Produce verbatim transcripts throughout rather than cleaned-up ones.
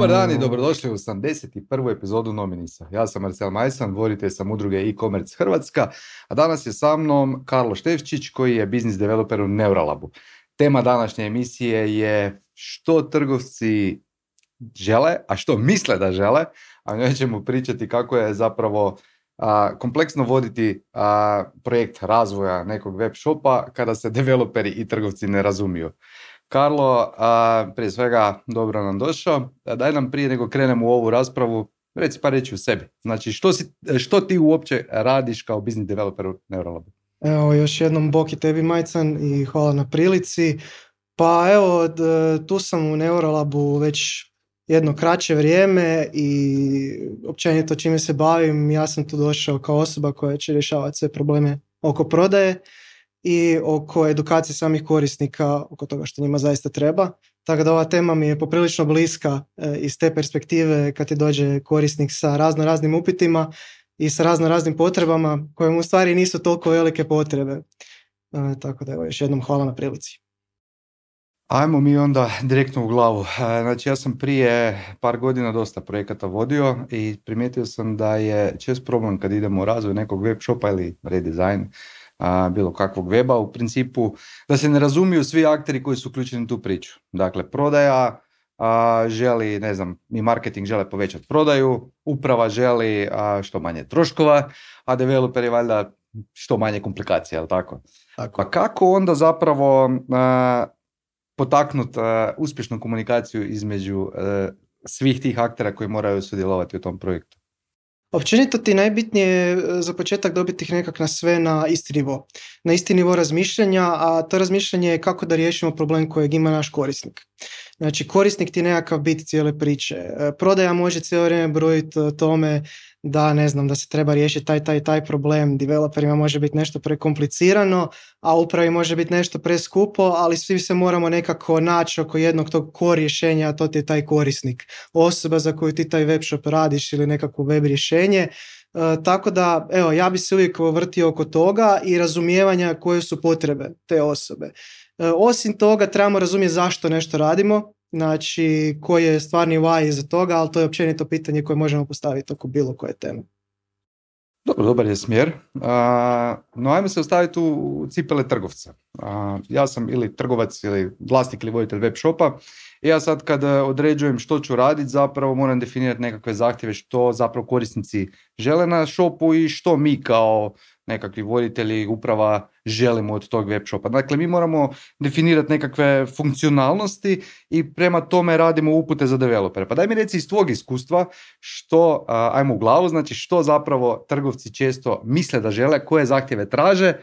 Dobar dan i dobrodošli u osamdeset prvu epizodu Nominisa. Ja sam Marcel Majsan, voditelj sam udruge e-commerce Hrvatska, a danas je sa mnom Karlo Štefčić koji je business developer u Neuralabu. Tema današnje emisije je što trgovci žele, a što misle da žele, a njoj ćemo pričati kako je zapravo a, kompleksno voditi a, projekt razvoja nekog web shopa kada se developeri i trgovci ne razumiju. Karlo, a, prije svega dobro nam došao. Daj nam prije nego krenemo u ovu raspravu, reci par reći u sebi. Znači, što, si, što ti uopće radiš kao business developer u Neuralabu? Evo, još jednom bok i tebi, Majcan, i hvala na prilici. Pa evo, tu sam u Neuralabu već jedno kraće vrijeme i općenito čime se bavim, ja sam tu došao kao osoba koja će rješavati sve probleme oko prodaje i oko edukacije samih korisnika, oko toga što njima zaista treba. Tako da ova tema mi je poprilično bliska e, iz te perspektive kad ti dođe korisnik sa razno raznim upitima i sa razno raznim potrebama koje mu u stvari nisu toliko velike potrebe. E, tako da evo, još jednom hvala na prilici. Ajmo mi onda direktno u glavu. Znači, ja sam prije par godina dosta projekata vodio i primijetio sam da je čest problem kad idemo u razvoj nekog web shopa ili redesign a, bilo kakvog weba, u principu da se ne razumiju svi akteri koji su uključeni u tu priču. Dakle, prodaja a, želi, ne znam, i marketing žele povećati prodaju, uprava želi a, što manje troškova, a developeri valjda što manje komplikacija, jel tako? Tako. Pa kako onda zapravo a, potaknuti uh, uspješnu komunikaciju između uh, svih tih aktera koji moraju sudjelovati u tom projektu? Općenito ti najbitnije je za početak dobiti ih nekak na sve na isti nivo. Na isti nivo razmišljanja, a to razmišljanje je kako da riješimo problem kojeg ima naš korisnik. Znači, korisnik ti je nekakav bit cijele priče. Prodaja može cijelo vrijeme brojiti o tome da, ne znam, da se treba riješiti taj, taj, taj problem. Developerima može biti nešto prekomplicirano, a upravi može biti nešto preskupo, ali svi se moramo nekako naći oko jednog tog core rješenja, a to ti je taj korisnik. Osoba za koju ti taj web shop radiš ili nekakvo web rješenje. Uh, tako da, evo, ja bi se uvijek vrtio oko toga i razumijevanja koje su potrebe te osobe. Uh, osim toga, trebamo razumjeti zašto nešto radimo, znači koji je stvarni why iza toga, ali to je općenito pitanje koje možemo postaviti oko bilo koje teme. Dobro, dobar je smjer. Uh, no, ajmo se ostaviti u cipele trgovca. Uh, ja sam ili trgovac ili vlasnik ili voditelj web shopa. I ja sad kad određujem što ću raditi, zapravo moram definirati nekakve zahtjeve što zapravo korisnici žele na shopu i što mi kao nekakvi voditelji uprava želimo od tog web shopa. Dakle, mi moramo definirati nekakve funkcionalnosti i prema tome radimo upute za developere. Pa daj mi reci iz tvog iskustva što, ajmo u glavu, znači što zapravo trgovci često misle da žele, koje zahtjeve traže,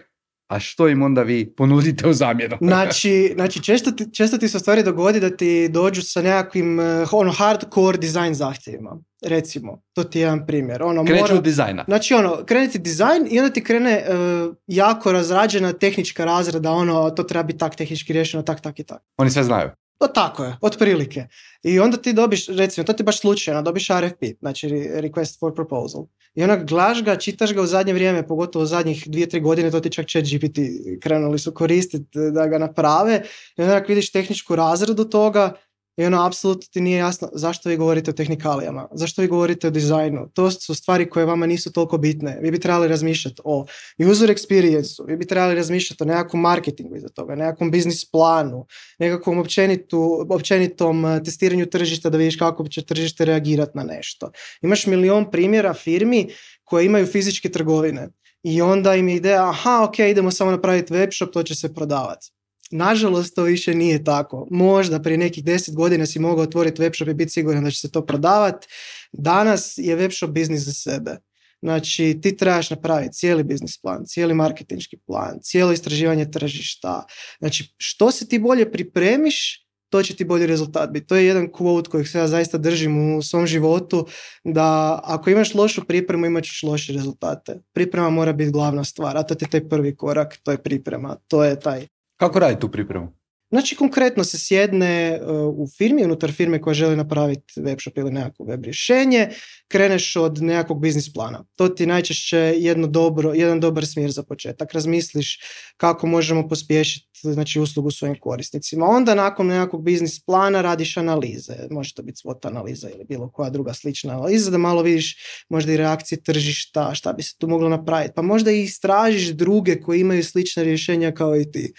a što im onda vi ponudite u zamjenu? Znači, znači često, ti, često ti se stvari dogodi da ti dođu sa nekakvim ono, hardcore dizajn zahtjevima. Recimo, to ti je jedan primjer. Ono, Kreću mora, od dizajna. Znači, ono, krene ti dizajn i onda ti krene uh, jako razrađena tehnička razrada, ono, to treba biti tak tehnički riješeno, tak, tak i tak. Oni sve znaju. To tako je, otprilike. I onda ti dobiš, recimo, to ti baš slučajno, dobiš R F P, znači Request for Proposal. I onak glaš ga, čitaš ga u zadnje vrijeme, pogotovo u zadnjih dvije, tri godine, to ti čak ChatGPT krenuli su koristiti da ga naprave. I onak vidiš tehničku razradu toga i ono, apsolutno ti nije jasno zašto vi govorite o tehnikalijama, zašto vi govorite o dizajnu. To su stvari koje vama nisu toliko bitne. Vi bi trebali razmišljati o user experience-u, vi bi trebali razmišljati o nekakvom marketingu iza toga, nekakvom biznis planu, nekakvom općenitu, općenitom testiranju tržišta da vidiš kako će tržište reagirati na nešto. Imaš milion primjera firmi koje imaju fizičke trgovine i onda im je ideja, aha, ok, idemo samo napraviti web shop, to će se prodavati. Nažalost, to više nije tako. Možda prije nekih deset godina si mogao otvoriti webshop i biti siguran da će se to prodavati. Danas je webshop biznis za sebe. Znači, ti trebaš napraviti cijeli biznis plan, cijeli marketinški plan, cijelo istraživanje tržišta. Znači, što se ti bolje pripremiš, to će ti bolji rezultat biti. To je jedan quote kojeg se ja zaista držim u svom životu, da ako imaš lošu pripremu, imat ćeš loše rezultate. Priprema mora biti glavna stvar, a to je taj prvi korak, to je priprema, to je taj. Kako radi tu pripremu? Znači, konkretno se sjedne uh, u firmi, unutar firme koja želi napraviti web shop ili nekako web rješenje, kreneš od nekakvog biznis plana. To ti najčešće jedno dobro, jedan dobar smjer za početak. Razmisliš kako možemo pospješiti, znači, uslugu svojim korisnicima. Onda nakon nekakvog biznis plana radiš analize. Može to biti SWOT analiza ili bilo koja druga slična analiza, da malo vidiš možda i reakcije tržišta, šta bi se tu moglo napraviti. Pa možda i istražiš druge koji imaju slična rješenja kao i ti.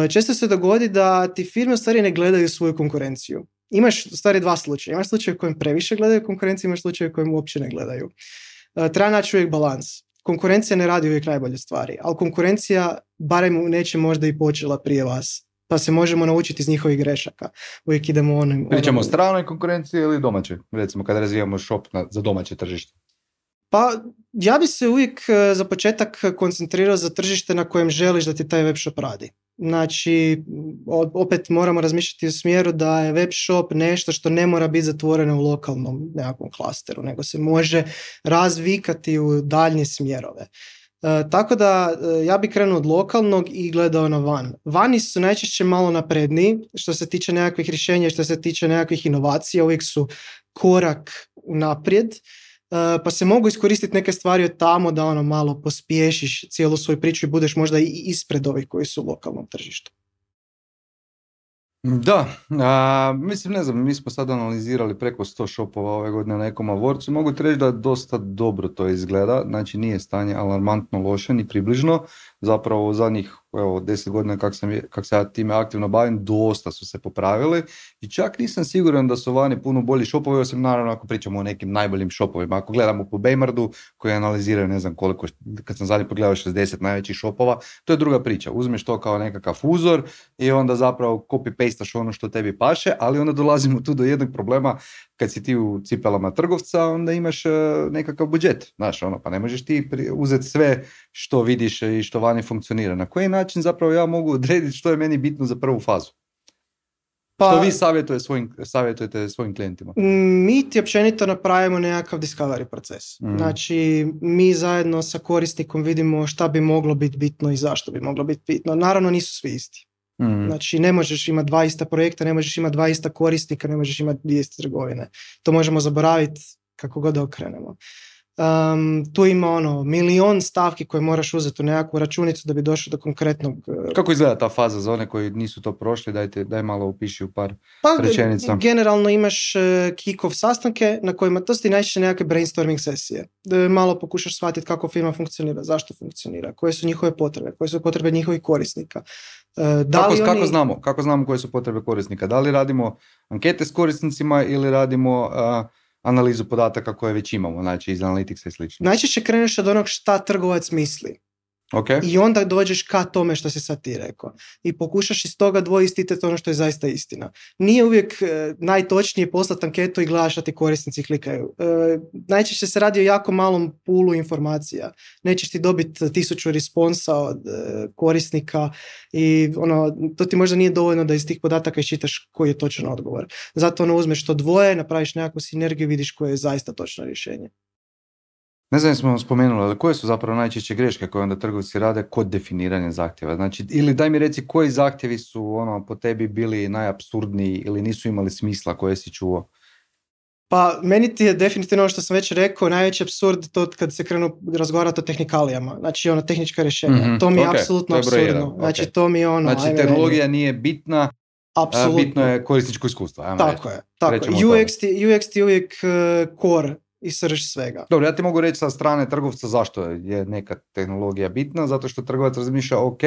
Često se dogodi da ti firme u stvari ne gledaju svoju konkurenciju. Imaš u stvari dva slučaja. Imaš slučaj u kojem previše gledaju konkurenciju, imaš slučaj u kojem uopće ne gledaju. Treba naći uvijek balans. Konkurencija ne radi uvijek najbolje stvari, ali konkurencija barem neće možda i počela prije vas. Pa se možemo naučiti iz njihovih grešaka. Uvijek idemo onim... Pričamo o onom... stranoj konkurenciji ili domaćoj? Recimo kada razvijamo shop na, za domaće tržište. Pa ja bi se uvijek za početak koncentrirao za tržište na kojem želiš da ti taj web shop radi. Znači, opet moramo razmišljati u smjeru da je web shop nešto što ne mora biti zatvoreno u lokalnom nekakvom klasteru, nego se može razvikati u daljnje smjerove. E, tako da ja bi krenuo od lokalnog i gledao na van. Vani su najčešće malo napredniji što se tiče nekakvih rješenja, što se tiče nekakvih inovacija, uvijek su korak naprijed. Pa se mogu iskoristiti neke stvari od tamo da ono malo pospješiš cijelu svoju priču i budeš možda i ispred ovih koji su u lokalnom tržištu. Da, a, mislim, ne znam, mi smo sad analizirali preko sto shopova ove godine na Ecom Awardsu. Mogu ti reći da dosta dobro to izgleda, znači nije stanje alarmantno loše, ni približno. Zapravo u zadnjih evo, deset godina kak, sam, kak se ja time aktivno bavim, dosta su se popravili i čak nisam siguran da su vani puno bolji shopovi, osim naravno ako pričamo o nekim najboljim shopovima. Ako gledamo po Baymardu koji analiziraju ne znam koliko, kad sam zadnji pogledao šezdeset najvećih shopova, to je druga priča. Uzmeš to kao nekakav uzor i onda zapravo copy-pastaš ono što tebi paše, ali onda dolazimo tu do jednog problema. Kad si ti u cipelama trgovca, onda imaš uh, nekakav budžet, znaš, ono, pa ne možeš ti pri- uzeti sve što vidiš i što vani funkcionira. Na koji način zapravo ja mogu odrediti što je meni bitno za prvu fazu? Pa, što vi savjetuje svojim, savjetujete svojim klijentima? Mi ti općenito napravimo nekakav discovery proces. Mm. Znači, mi zajedno sa korisnikom vidimo šta bi moglo biti bitno i zašto bi moglo biti bitno. Naravno, nisu svi isti. Mm. Znači, ne možeš imati dva ista projekta, ne možeš imati dva ista korisnika, ne možeš imati dvije iste trgovine. To možemo zaboraviti kako god da okrenemo. Um, tu ima ono milion stavki koje moraš uzeti u nekakvu računicu da bi došao do konkretnog... Kako izgleda ta faza za one koji nisu to prošli? Dajte, daj malo upiši u par pa, rečenica. Generalno imaš uh, kick-off sastanke na kojima to su ti najčešće nekakve brainstorming sesije. Da malo pokušaš shvatiti kako firma funkcionira, zašto funkcionira, koje su njihove potrebe, koje su potrebe njihovih korisnika. Uh, da kako, li oni... kako, znamo, kako znamo koje su potrebe korisnika? Da li radimo ankete s korisnicima ili radimo... Uh, analizu podataka koje već imamo, znači iz Analyticsa i slično. Najčešće kreneš od onog šta trgovac misli. Okay. I onda dođeš ka tome što si sad ti rekao. I pokušaš iz toga dvoistiteti ono što je zaista istina. Nije uvijek e, najtočnije poslati anketu i gledaš šta ti korisnici klikaju. E, najčešće se radi o jako malom pulu informacija. Nećeš ti dobiti tisuću responsa od e, korisnika i ono, to ti možda nije dovoljno da iz tih podataka iščitaš koji je točan odgovor. Zato ono uzmeš to dvoje, napraviš nekakvu sinergiju i vidiš koje je zaista točno rješenje. Ne znam smo spomenuli, ali koje su zapravo najčešće greške koje onda trgovci rade kod definiranja zahtjeva? Znači, ili daj mi reci koji zahtjevi su ono, po tebi bili najapsurdniji ili nisu imali smisla koje si čuo? Pa meni ti je definitivno ono što sam već rekao, najveći apsurd to kad se krenu razgovarati o tehnikalijama, znači ono tehnička rješenja. Mm-hmm, to mi je okay, apsolutno apsurdno. Okay. Znači to mi je ono... Znači tehnologija nije bitna, apsolutno. Bitno je korisničko iskustvo. Ajmo tako reći. je, tako je. U X ti, U X ti uvijek uh, core i srž svega. Dobro, ja ti mogu reći sa strane trgovca zašto je neka tehnologija bitna, zato što trgovac razmišlja, ok,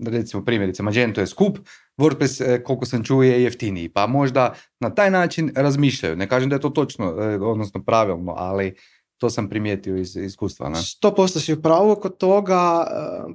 recimo primjerice, Magento je skup, WordPress, koliko sam čuo, je jeftiniji, pa možda na taj način razmišljaju. Ne kažem da je to točno, odnosno pravilno, ali to sam primijetio iz iskustva. Ne? sto posto si u pravu kod toga.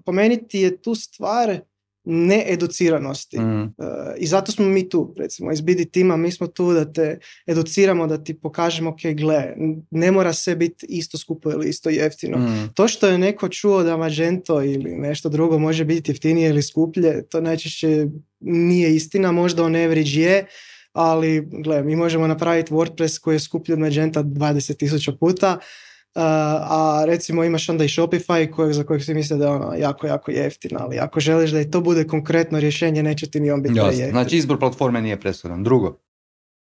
Po meni ti je tu stvar needuciranosti. Mm. Uh, I zato smo mi tu, recimo, iz B D tima, mi smo tu da te educiramo, da ti pokažemo, ok, gle, ne mora sve biti isto skupo ili isto jeftino. Mm. To što je neko čuo da Magento ili nešto drugo može biti jeftinije ili skuplje, to najčešće nije istina, možda on average je, ali gle, mi možemo napraviti WordPress koji je skuplji od Magenta dvadeset tisuća puta, a recimo imaš onda i Shopify kojeg, za kojeg se misle da je ono jako, jako jeftin, ali ako želiš da i to bude konkretno rješenje, neće ti ni on biti jeftin. Znači izbor platforme nije presudan. Drugo?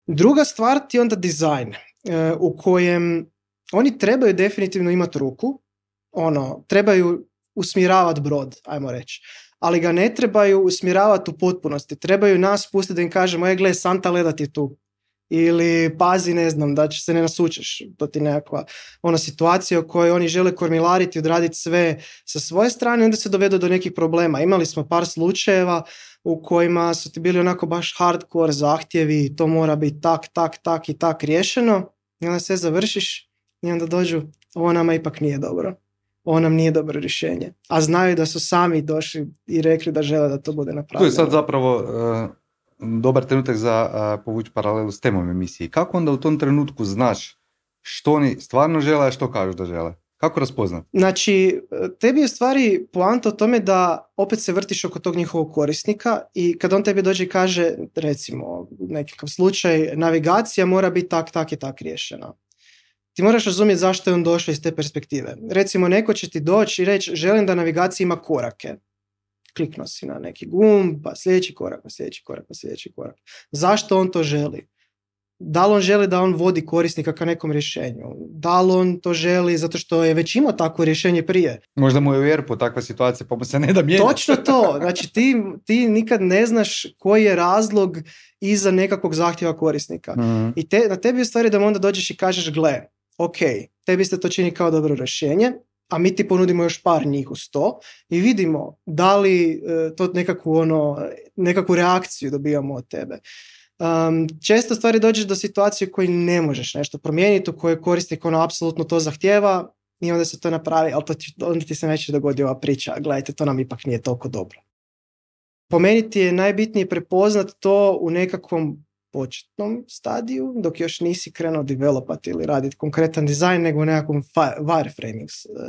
Druga stvar ti je onda dizajn, u kojem oni trebaju definitivno imati ruku, ono, trebaju usmjeravati brod, ajmo reći, ali ga ne trebaju usmjeravati u potpunosti, trebaju nas pustiti da im kažemo, e gle, Santa leda ti tu, ili pazi, ne znam, da će se ne nasučeš, to ti nekakva ona situacija u kojoj oni žele kormilariti, odraditi sve sa svoje strane, onda se dovedu do nekih problema. Imali smo par slučajeva u kojima su ti bili onako baš hardcore zahtjevi, to mora biti tak, tak, tak i tak riješeno, i onda sve završiš i onda dođu, ovo nama ipak nije dobro. Ovo nam nije dobro rješenje. A znaju da su sami došli i rekli da žele da to bude napravljeno. Tu je sad zapravo uh, dobar trenutak za uh, povući paralelu s temom emisije. Kako onda u tom trenutku znaš što oni stvarno žele, a što kažu da žele? Kako raspoznat? Znači, tebi je u stvari poanta o tome da opet se vrtiš oko tog njihovog korisnika i kad on tebi dođe i kaže, recimo, nekakav slučaj, navigacija mora biti tak, tak i tak riješena. Ti moraš razumjeti zašto je on došao iz te perspektive. Recimo, neko će ti doći i reći, želim da navigacija ima korake. Kliknuo si na neki gumb, pa sljedeći korak, pa sljedeći korak, pa sljedeći korak. Zašto on to želi? Da li on želi da on vodi korisnika ka nekom rješenju? Da li on to želi zato što je već imao takvo rješenje prije? Možda mu je u E R P-u takva situacija, pa mu se ne da mijenjati. Točno to. Znači ti, ti nikad ne znaš koji je razlog iza nekakvog zahtjeva korisnika. Mm. I te, na tebi je stvari da mu onda dođeš i kažeš, gle, ok, tebi se to čini kao dobro rješenje, a mi ti ponudimo još par njih uz to i vidimo da li e, to nekakvu, ono, nekakvu reakciju dobijamo od tebe. Um, često stvari dođeš do situacije u kojoj ne možeš nešto promijeniti, u kojoj korisnik ono apsolutno to zahtjeva i onda se to napravi, ali to ti, onda ti se neće dogodi ova priča, gledajte, to nam ipak nije toliko dobro. Po meni ti je najbitnije prepoznat to u nekakvom početnom stadiju, dok još nisi krenuo developati ili raditi konkretan dizajn, nego u nekakvom wireframing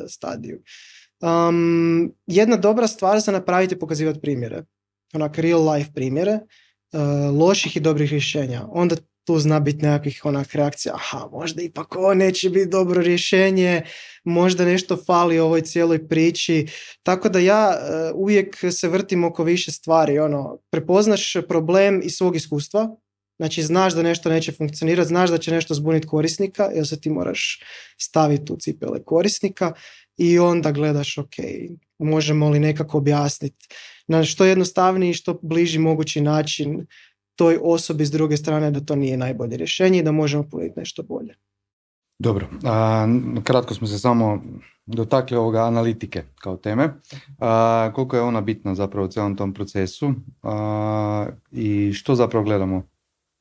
stadiju. Um, jedna dobra stvar za napraviti je pokazivati primjere, onak real life primjere, Uh, loših i dobrih rješenja. Onda tu zna biti nekakvih onak reakcija, aha, možda ipak ovo neće biti dobro rješenje, možda nešto fali u ovoj cijeloj priči. Tako da ja uh, uvijek se vrtim oko više stvari. Ono, prepoznaš problem iz svog iskustva, znači znaš da nešto neće funkcionirati, znaš da će nešto zbuniti korisnika, jer se ti moraš staviti u cipele korisnika i onda gledaš, ok, možemo li nekako objasniti na što jednostavniji i što bliži mogući način toj osobi s druge strane da to nije najbolje rješenje i da možemo ponuditi nešto bolje. Dobro, a, kratko smo se samo dotakli ovoga analitike kao teme. A, koliko je ona bitna zapravo u cijelom tom procesu a, i što zapravo gledamo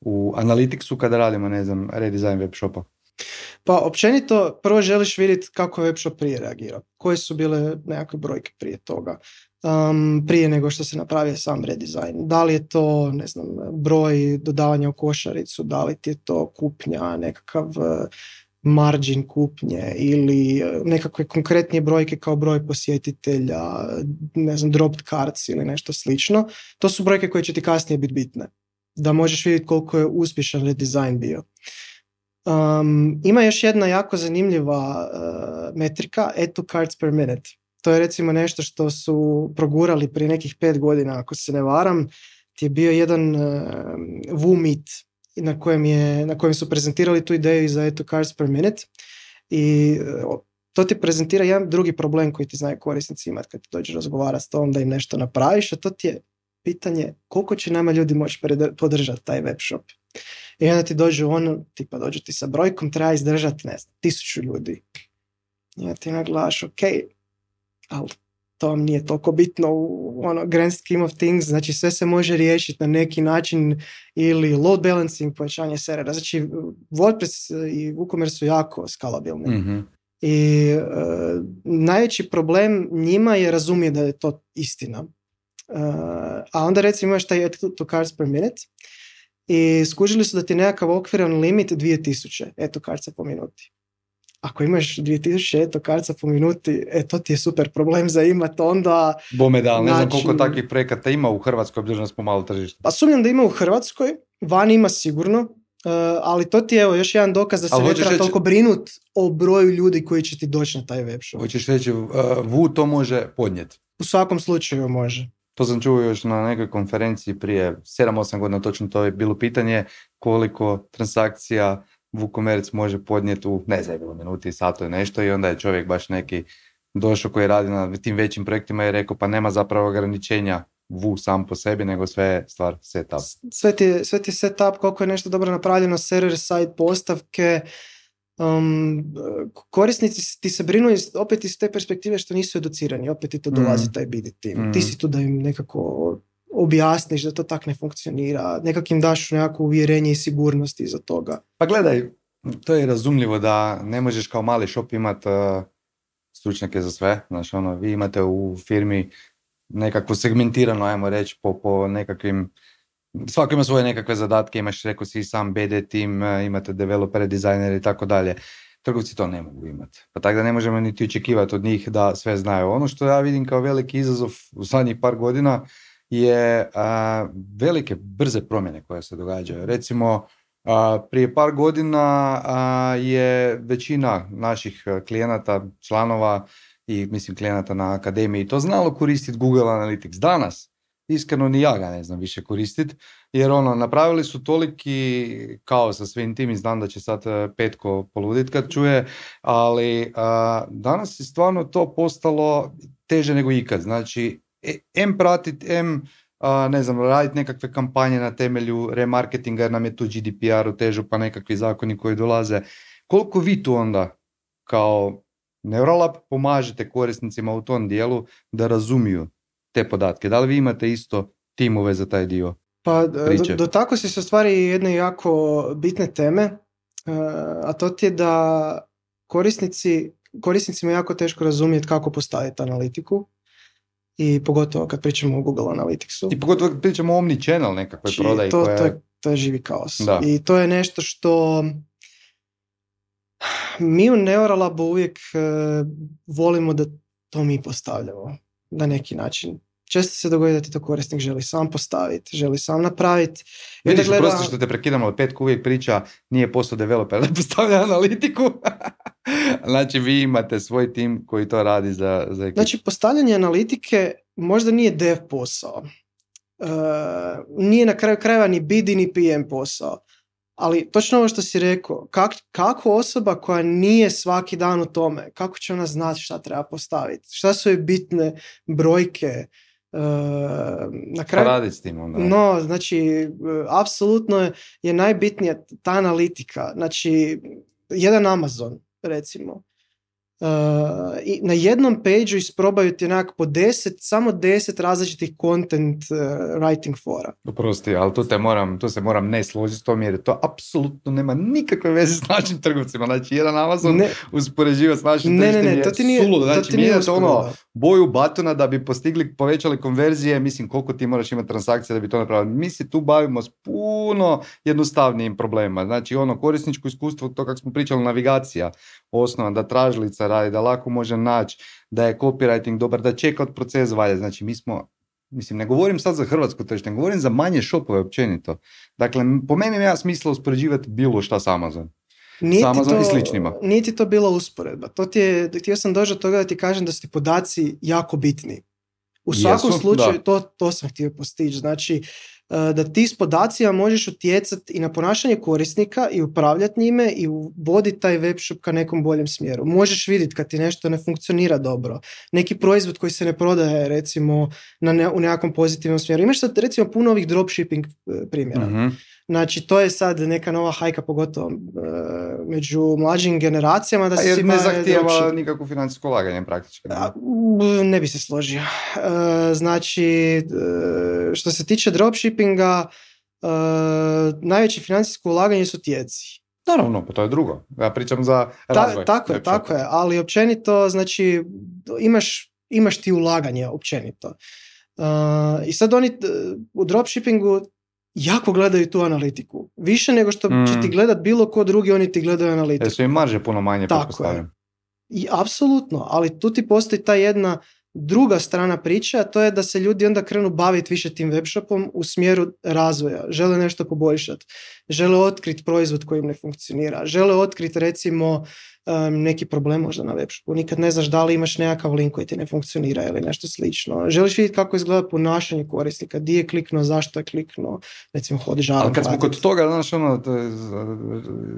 u Analyticsu kada radimo, ne znam, redesign web shopa? Pa općenito prvo želiš vidjeti kako je web shop prije reagirao. Koje su bile nekakve brojke prije toga. Um, prije nego što se napravio sam redesign. Da li je to, ne znam, broj dodavanja u košaricu, da li ti je to kupnja, nekakav uh, margin kupnje ili uh, nekakve konkretnije brojke kao broj posjetitelja, ne znam, dropped cards ili nešto slično. To su brojke koje će ti kasnije biti bitne. Da možeš vidjeti koliko je uspješan redesign bio. Um, ima još jedna jako zanimljiva uh, metrika, add to cards per minute. To je recimo nešto što su progurali prije nekih pet godina, ako se ne varam, ti je bio jedan uh, WooMeet na kojem, je, na kojem su prezentirali tu ideju za add to cards per minute i uh, to ti prezentira jedan drugi problem koji ti znaju korisnici imati kad ti dođeš razgovarati s tom da im nešto napraviš, a to ti je pitanje koliko će nama ljudi moći podržati taj web shop. I onda ti dođu ono, tipa dođu ti sa brojkom, treba izdržati, ne znam, tisuću ljudi. I onda ti naglaš, ok, ali to vam nije toliko bitno u ono, grand scheme of things, znači sve se može riješiti na neki način ili load balancing, povećanje servera. Znači WordPress i WooCommerce su jako skalabilni. Mm-hmm. I uh, najveći problem njima je razumije da je to istina. Uh, a onda recimo imaš taj add to cards per minute i skužili su da ti nekakav okviran limit dvije tisuće add to cardsa po minuti. Ako imaš dvije tisuće add to cardsa po minuti, e, to ti je super problem za imat onda... Bome da, ne znam koliko takvih projekata ima u Hrvatskoj, obzirom da smo malo tržište. Pa sumnjam da ima u Hrvatskoj, van ima sigurno, ali to ti je evo još jedan dokaz da se Ali ne hoćeš treba reći- toliko brinut o broju ljudi koji će ti doći na taj web shop. Hoćeš reći, uh, Wu to može podnijeti. U svakom slučaju može. To sam čuo još na nekoj konferenciji prije sedam osam godina, točno to je bilo pitanje koliko transakcija WooCommerce može podnijeti u, ne znam, bilo minuti, satu i nešto, i onda je čovjek baš neki došao koji radi na tim većim projektima i rekao pa nema zapravo ograničenja Wu sam po sebi, nego sve je stvar setup. Sve ti, je- sve ti je setup, koliko je nešto dobro napravljeno, server side postavke. Um, korisnici ti se brinu iz, opet iz te perspektive što nisu educirani, opet ti to dolazi Mm. taj B D team. Mm. Ti si tu da im nekako objasniš da to tak ne funkcionira, nekak im daš nekako uvjerenje i sigurnost iza toga. Pa gledaj, to je razumljivo da ne možeš kao mali shop imat uh, stručnjake za sve. Znači, ono, vi imate u firmi nekako segmentirano, ajmo reći, po, po nekakvim, svako ima svoje nekakve zadatke, imaš, rekao si, sam B D team, uh, imate developere, dizajnere i tako dalje. Trgovci to ne mogu imati. Pa tako da ne možemo niti očekivati od njih da sve znaju. Ono što ja vidim kao veliki izazov u zadnjih par godina je a, velike, brze promjene koje se događaju. Recimo, a, prije par godina a, je većina naših klijenata, članova i mislim klijenata na akademiji to znalo koristiti Google Analytics. Danas, iskreno ni ja ga ne znam više koristiti, jer ono, napravili su toliki kaos sa svim tim i znam da će sad e, Petko poludit kad čuje, ali a, danas je stvarno to postalo teže nego ikad. Znači, e, em pratit, em a, ne znam, raditi nekakve kampanje na temelju remarketinga, jer nam je tu G D P R utežu pa nekakvi zakoni koji dolaze. Koliko vi tu onda kao Neuralab pomažete korisnicima u tom dijelu da razumiju te podatke? Da li vi imate isto timove za taj dio? Pa do, Priče. do tako si se u stvari jedne jako bitne teme, uh, a to ti je da korisnici, korisnicima je jako teško razumjeti kako postaviti analitiku i pogotovo kad pričamo o Google Analyticsu. I pogotovo kad pričamo o omnichannel nekakvoj Znači, prodaji to, koja to, je, to je živi kaos. Da. I to je nešto što mi u Neuralabu uvijek uh, volimo da to mi postavljamo na neki način. Često se dogodi da ti to korisnik želi sam postaviti, želi sam napraviti. I onda Vidiš, gleda- prosto što te prekidamo, ali Petko uvijek priča nije posao developera da postavlja analitiku. Znači vi imate svoj tim koji to radi za, za ekipu. Znači, postavljanje analitike možda nije dev posao. Uh, nije na kraju krajeva ni B D ni P M posao. Ali točno ovo što si rekao, kak, kako osoba koja nije svaki dan u tome, kako će ona znati šta treba postaviti? Šta su joj bitne brojke? Uh, na Pa kraju, raditi s tim onda. no, znači, uh, apsolutno je, je najbitnija ta analitika. Znači, jedan Amazon, recimo, Uh, i na jednom pageu isprobaju ti onak po deset, samo deset različitih content uh, writing fora. Oprosti, ali tu, te moram, tu se moram ne složiti s tom jer to apsolutno nema nikakve veze s našim trgovcima. Znači, jedan Amazon Ne, uspoređivati s našim ne, ne, tržištem ne, to ti nije, je suludo. to Znači, ti nije mijenjate ono usporedba. boju batona da bi postigli, povećali konverzije, mislim koliko ti moraš imati transakcija da bi to napravili. Mi se tu bavimo s puno jednostavnijim problemima. Znači, ono korisničko iskustvo, to kako smo pričali, navigacija, osnova, da tražilica radi, da lako može naći, da je copywriting dobar, da checkout proces valja. Znači, mi smo, mislim, ne govorim sad za hrvatsko tržište, ne govorim za manje shopove općenito. Dakle, po meni nema smisla uspoređivati bilo šta s Amazon. Nije s ti Amazon to- i sličnima. Nije ti to bila usporedba. To ti je, htio sam doći do toga da ti kažem da su ti podaci jako bitni. U svakom Jesu, slučaju, da. to, to sam htio postići. Znači, eh, da ti s podacima možeš utjecati i na ponašanje korisnika i upravljati njime i voditi taj web shop ka nekom boljem smjeru. Možeš vidjeti kad ti nešto ne funkcionira dobro. Neki proizvod koji se ne prodaje, recimo, na ne, u nekakvom pozitivnom smjeru. Imaš sad, recimo, puno ovih dropshipping eh, primjera. Mhm. Znači, to je sad neka nova hajka, pogotovo e, među mlađim generacijama, da A se jer svi ne bave zahtijeva dropship- nikakvo financijsko ulaganje praktički. ne? A, m, ne bi se složio. E, znači, e, što se tiče dropshippinga, e, najveće financijsko ulaganje su tijeci. Naravno, pa to je drugo. Ja pričam za Ta, razvoj. tako je, web shopa. tako je, ali općenito, znači, imaš, imaš ti ulaganje općenito. E, I sad oni e, u dropshippingu jako gledaju tu analitiku. Više nego što Mm. će ti gledat bilo ko drugi, oni ti gledaju analitiku. Jer su im marže puno manje, Tako pretpostavljam. I apsolutno, ali tu ti postoji ta jedna Druga strana priče, a to je da se ljudi onda krenu baviti više tim webshopom u smjeru razvoja. Žele nešto poboljšati. Žele otkriti proizvod koji im ne funkcionira. Žele otkriti recimo um, neki problem možda na webshopu. Nikad ne znaš da li imaš nekakav link koji ti ne funkcionira ili nešto slično. Želiš vidjeti kako izgleda ponašanje korisnika. Di je kliknuo, zašto je kliknuo. Recimo hodi žarom. Ali kad smo kod toga, znaš, ono, to je,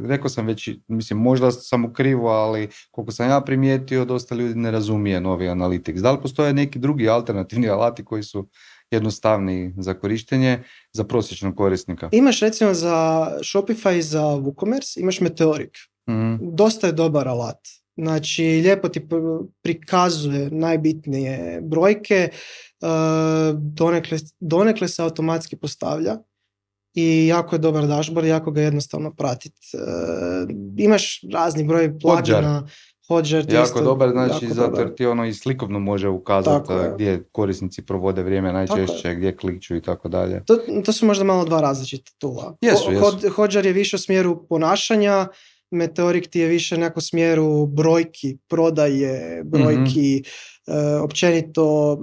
rekao sam već, mislim, možda sam u krivu, ali koliko sam ja primijetio, dosta ljudi ne razumije novi Analytics. Da li postoje neki drugi alternativni alati koji su jednostavniji za korištenje za prosječnog korisnika? Imaš recimo za Shopify i za WooCommerce, imaš Meteoric. Mm-hmm. Dosta je dobar alat. Znači, lijepo ti prikazuje najbitnije brojke, donekle, donekle se automatski postavlja i jako je dobar dashboard, jako ga jednostavno pratiti. Imaš razni broj plugina. Hotjar, jako dobar, znači zato jer ti ono i slikovno može ukazati gdje korisnici provode vrijeme najčešće, gdje klikću i tako dalje. To, to su možda malo dva različita tula. Jesu, jesu. Hotjar je više u smjeru ponašanja, Meteoric ti je više nekako u smjeru brojki, prodaje, brojki, mm-hmm. uh, općenito uh,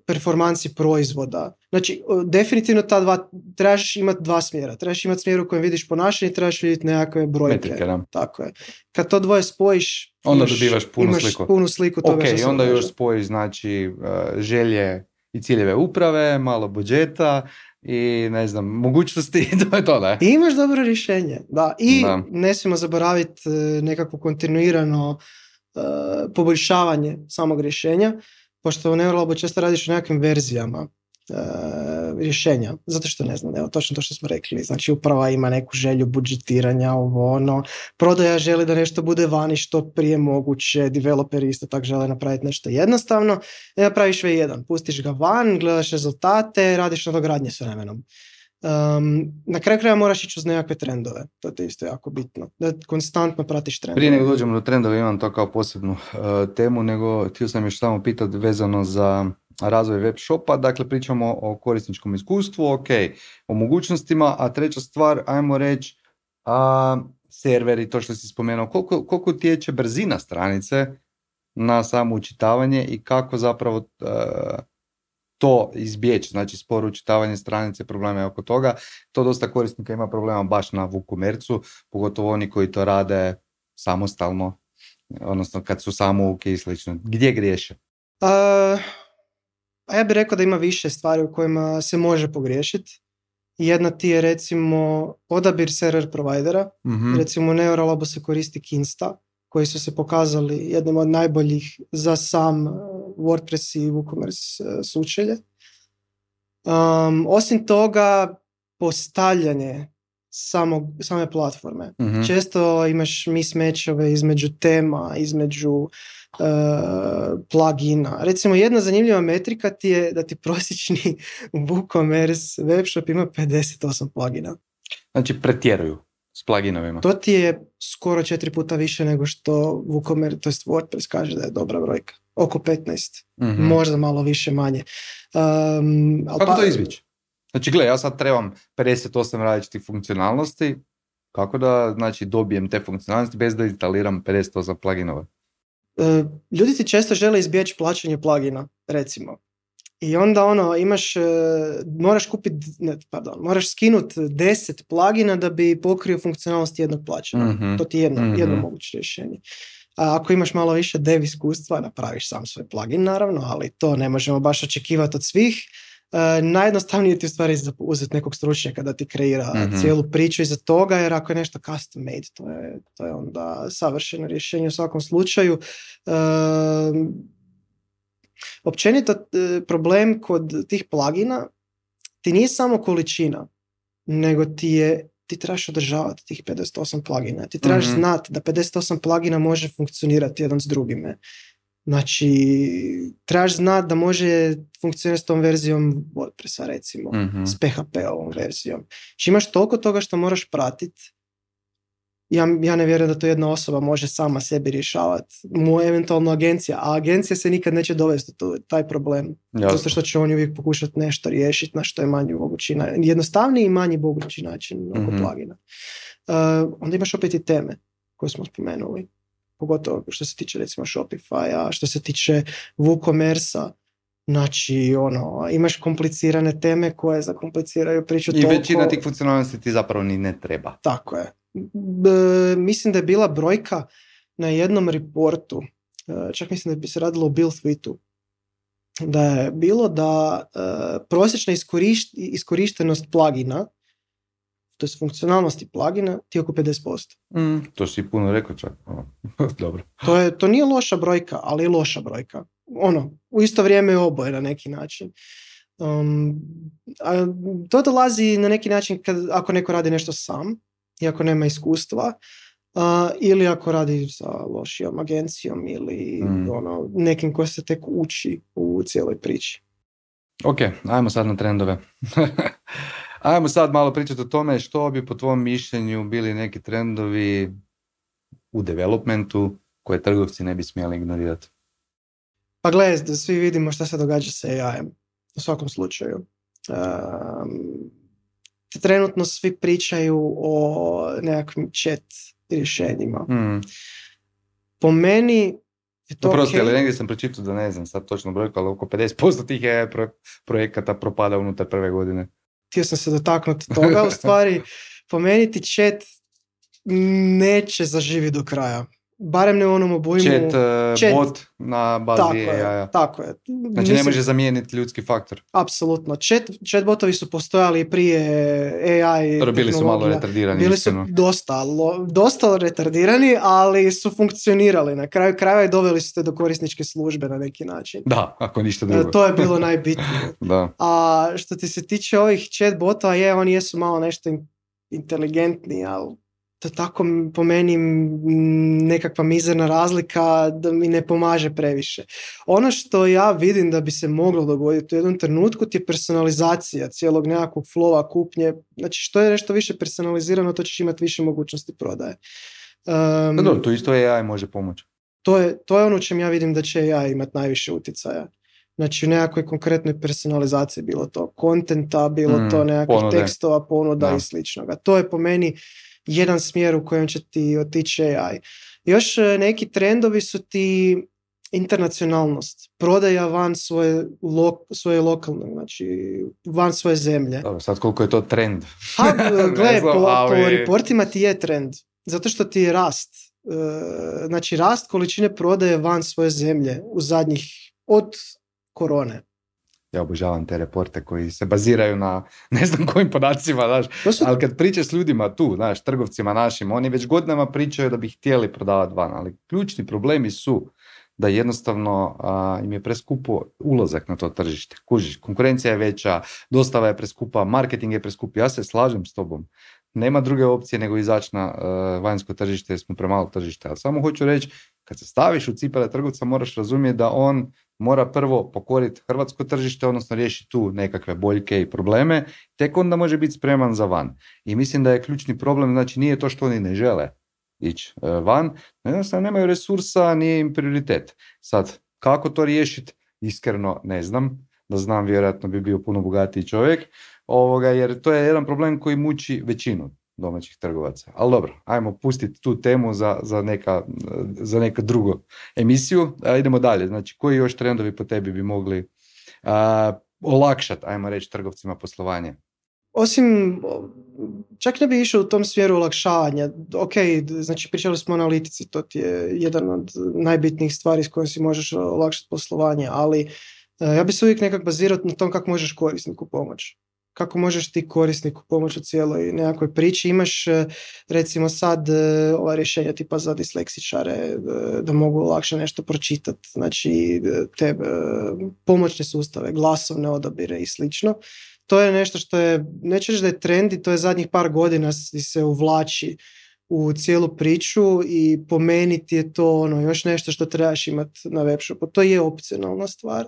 performansi proizvoda. Znači, uh, definitivno ta dva, trebaš imati dva smjera. Trebaš imati smjer u kojem vidiš ponašanje i trebaš vidjeti nekakve brojke. Metrike, da. Tako je. Kad to dvoje spojiš, onda imaš, dobivaš punu imaš sliku. punu sliku toga okay, što se onda događa. još spojiš znači uh, želje i ciljeve uprave, malo budžeta i ne znam, mogućnosti, to je to, da. I imaš dobro rješenje, da. I da. Ne smijemo zaboraviti nekako kontinuirano uh, poboljšavanje samog rješenja, pošto u Neuralabu često radiš u nekakvim verzijama uh, rješenja, zato što ne znam, evo, točno to što smo rekli, znači uprava ima neku želju budžetiranja, ovo ono, prodaja želi da nešto bude vani što prije moguće, developeri isto tako žele napraviti nešto jednostavno, i napraviš V jedan, pustiš ga van, gledaš rezultate, radiš nadogradnje s vremenom. Um, na kraju kraja moraš ići uz nekakve trendove, to je isto jako bitno, da konstantno pratiš trendove. Prije nego dođemo do trendova, imam to kao posebnu uh, temu, nego htio sam još samo pitati vezano za razvoj web shopa, dakle pričamo o korisničkom iskustvu, ok, o mogućnostima, a treća stvar, ajmo reći, a, serveri, to što si spomenuo, koliko, koliko utječe brzina stranice na samo učitavanje i kako zapravo uh, to izbjeći, znači sporo učitavanje stranice, probleme oko toga. To dosta korisnika ima problema baš na WooCommerce-u, pogotovo oni koji to rade samostalno, odnosno kad su samouke i slično. Gdje griješe? Uh, a ja bih rekao da ima više stvari u kojima se može pogriješiti. Jedna ti je recimo odabir server provajdera. Mm-hmm. Recimo u Neuralabu se koristi Kinsta, koji su se pokazali jednim od najboljih za sam WordPress i WooCommerce sučelje. Um, osim toga, postavljanje samog, same platforme. Mm-hmm. Često imaš mismatchove između tema, između uh, plugina. Recimo, jedna zanimljiva metrika ti je da ti prosječni WooCommerce webshop ima pedeset osam plugina. Znači, pretjeruju s pluginovima. To ti je skoro četiri puta više nego što WooCommerce, to jest WordPress kaže da je dobra brojka. Oko petnaest. Mm-hmm. Možda malo više manje. Um, Kako pa, to izbjeći? Znači, gle, ja sad trebam pedeset osam različitih funkcionalnosti. Kako da, znači, dobijem te funkcionalnosti bez da instaliram pedeset osam pluginova? Uh, ljudi ti često žele izbjeći plaćanje plugina, recimo. I onda ono, imaš, uh, moraš kupiti, ne, pardon, moraš skinuti deset plugina da bi pokrio funkcionalnost jednog plaćanja. Mm-hmm. To ti je jedno, mm-hmm. jedno moguće rješenje. A ako imaš malo više dev iskustva, napraviš sam svoj plugin, naravno, ali to ne možemo baš očekivati od svih. Uh, najjednostavnije ti u stvari uzeti nekog stručnjaka da ti kreira mm-hmm. cijelu priču iza toga, jer ako je nešto custom made, to je, to je onda savršeno rješenje u svakom slučaju. Uh, općenito problem kod tih plugina ti nije samo količina, nego ti je ti trebaš održavati tih pedeset osam plugina. Ti trebaš mm-hmm. znati da pedeset osam plugina može funkcionirati jedan s drugime. Znači, trebaš znati da može funkcionirati s tom verzijom WordPressa, recimo, mm-hmm. s P H P-ovom verzijom. Znači, imaš toliko toga što moraš pratiti. Ja, ja ne vjerujem da to jedna osoba može sama sebi rješavati. Mu eventualno agencija, a agencija se nikad neće dovesti do taj problem. Jasno. Zato što će oni uvijek pokušati nešto riješiti na što je manji mogući način. Jednostavniji i manji mogući način oko mm-hmm. plugina. Uh, onda imaš opet i teme koje smo spomenuli. pogotovo što se tiče recimo Shopify-a, što se tiče WooCommerce-a. Znači, ono, imaš komplicirane teme koje zakompliciraju priču I toliko. većina tih funkcionalnosti ti zapravo ni ne treba. Tako je. B, mislim da je bila brojka na jednom reportu, čak mislim da bi se radilo o Buildsuite-u, da je bilo da uh, prosječna iskorišt, iskorištenost plugina, to je funkcionalnosti plugina, ti je oko pedeset posto. Mm, to si puno rekao čak. Dobro. To, je, to nije loša brojka, ali je loša brojka. Ono, u isto vrijeme je oboje na neki način. Um, a to dolazi na neki način kad, ako neko radi nešto sam, i ako nema iskustva, uh, ili ako radi sa lošijom agencijom ili mm. ono, nekim ko se tek uči u cijeloj priči. Ok, ajmo sad na trendove. Ajmo sad malo pričati o tome što bi po tvom mišljenju bili neki trendovi u developmentu koje trgovci ne bi smjeli ignorirati. Pa gledaj, da svi vidimo šta se događa sa A I-em. U svakom slučaju. Um, trenutno svi pričaju o nekakvim chat rješenjima. Mm. Po meni je to Prosti, okay. ali negdje sam pročitao da ne znam sad točno brojku, ali oko pedeset posto tih A I pro- projekata propada unutar prve godine. Htio sam se dotaknuti toga, u stvari po meni ti chat neće zaživiti do kraja. Barem ne u onom obujmu. Chat, uh, chat bot na bazi tako A I-a. Je, tako je. Znači Mislim, ne može zamijeniti ljudski faktor. Apsolutno. Chat, chat botovi su postojali prije A I Dobro, bili su malo retardirani. Bili su dosta, lo, dosta retardirani, ali su funkcionirali. Na kraju krajeva i doveli su te do korisničke službe na neki način. Da, ako ništa drugo. E, to je bilo najbitnije. Da. A što ti se tiče ovih chat botova, je, oni jesu malo nešto inteligentni, ali to tako po meni nekakva mizerna razlika da mi ne pomaže previše. Ono što ja vidim da bi se moglo dogoditi u jednom trenutku ti je personalizacija cijelog nekakvog flowa kupnje. Znači što je nešto više personalizirano, to ćeš imati više mogućnosti prodaje. Um, da, dobro, to isto A I može pomoći. To je, to je ono u čem ja vidim da će A I imati najviše utjecaja. Znači u nekakvoj konkretnoj personalizaciji, bilo to kontenta, bilo mm, to nekakvih ponude. tekstova, ponuda da. i sličnoga. To je po meni jedan smjer u kojem će ti otići A I. Još neki trendovi su ti internacionalnost, prodaja van svoje, lo, svoje lokalne, znači van svoje zemlje. Dobro, sad koliko je to trend? Ha, gle, po, po reportima ti je trend, zato što ti je rast. E, znači rast količine prodaje van svoje zemlje u zadnjih, od korone. Ja obožavam te reporte koji se baziraju na ne znam kojim podacima, znaš, su... ali kad pričaš s ljudima tu, znaš, trgovcima našim, oni već godinama pričaju da bi htjeli prodavati van, ali ključni problemi su da jednostavno a, im je preskupo ulazak na to tržište. Kužiš, konkurencija je veća, dostava je preskupa, marketing je preskup. Ja se slažem s tobom. Nema druge opcije nego izaći na uh, vanjsko tržište jer smo premalo tržište. Ali samo hoću reći, kad se staviš u cipele trgovca moraš razumjeti da on mora prvo pokoriti hrvatsko tržište, odnosno riješiti tu nekakve boljke i probleme, tek onda može biti spreman za van. I mislim da je ključni problem, znači nije to što oni ne žele ići uh, van, jednostavno nemaju resursa, nije im prioritet. Sad, kako to riješiti? Iskreno ne znam. Da znam, vjerojatno bi bio puno bogatiji čovjek. Ovoga, jer to je jedan problem koji muči većinu domaćih trgovaca. Ali dobro, ajmo pustiti tu temu za, za, neka, za neku drugu emisiju. A idemo dalje. Znači, koji još trendovi po tebi bi mogli a, olakšati, ajmo reći, trgovcima poslovanje? Osim, čak ne bi išao u tom smjeru olakšavanja. Ok, znači pričali smo o analitici, to ti je jedan od najbitnijih stvari s kojom si možeš olakšati poslovanje, ali ja bi se uvijek nekak bazirao na tom kako možeš korisniku pomoći. Kako možeš ti korisniku pomoći u cijeloj nekakvoj priči. Imaš recimo sad ova rješenja tipa za disleksičare da mogu lakše nešto pročitati. Znači te pomoćne sustave, glasovne odabire i slično. To je nešto što je, neću reći da je trend i to je zadnjih par godina se uvlači u cijelu priču i po meni ti je to ono, još nešto što trebaš imati na webshopu. To je opcionalna stvar.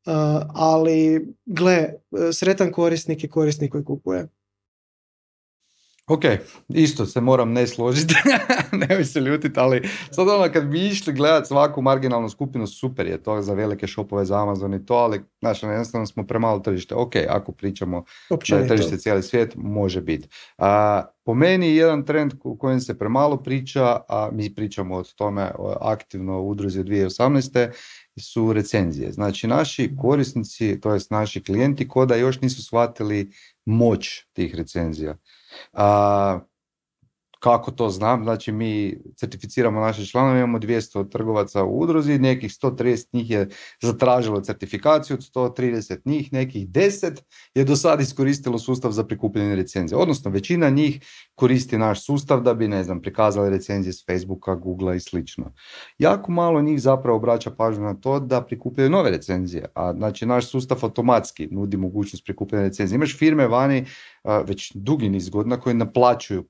Uh, ali gle, sretan korisnik je korisnik koji kupuje. Ok, isto se moram ne složiti, ne bi se ljutiti, ali sad ono kad bi išli gledati svaku marginalnu skupinu, super je to za velike shopove, za Amazon i to, ali znaš, jednostavno smo premalo tržište. Ok, ako pričamo općenito da je tržište cijeli svijet, može biti. Uh, po meni jedan trend u kojem se premalo priča, a mi pričamo o tome aktivno u udruzi od dvije tisuće osamnaeste, su recenzije. Znači naši korisnici, to jest naši klijenti, koda još nisu shvatili moć tih recenzija. A, kako to znam? Znači mi certificiramo naše članove, imamo dvjesto trgovaca u udruzi, nekih sto trideset njih je zatražilo certifikaciju, od sto trideset njih, nekih deset je do sad iskoristilo sustav za prikupljanje recenzija. Odnosno većina njih koristi naš sustav da bi, ne znam, prikazali recenzije s Facebooka, Googlea i slično. Jako malo njih zapravo obraća pažnju na to da prikupljaju nove recenzije, a znači naš sustav automatski nudi mogućnost prikupljanja recenzije. Imaš firme vani već dugi niz godina koje naplaćuju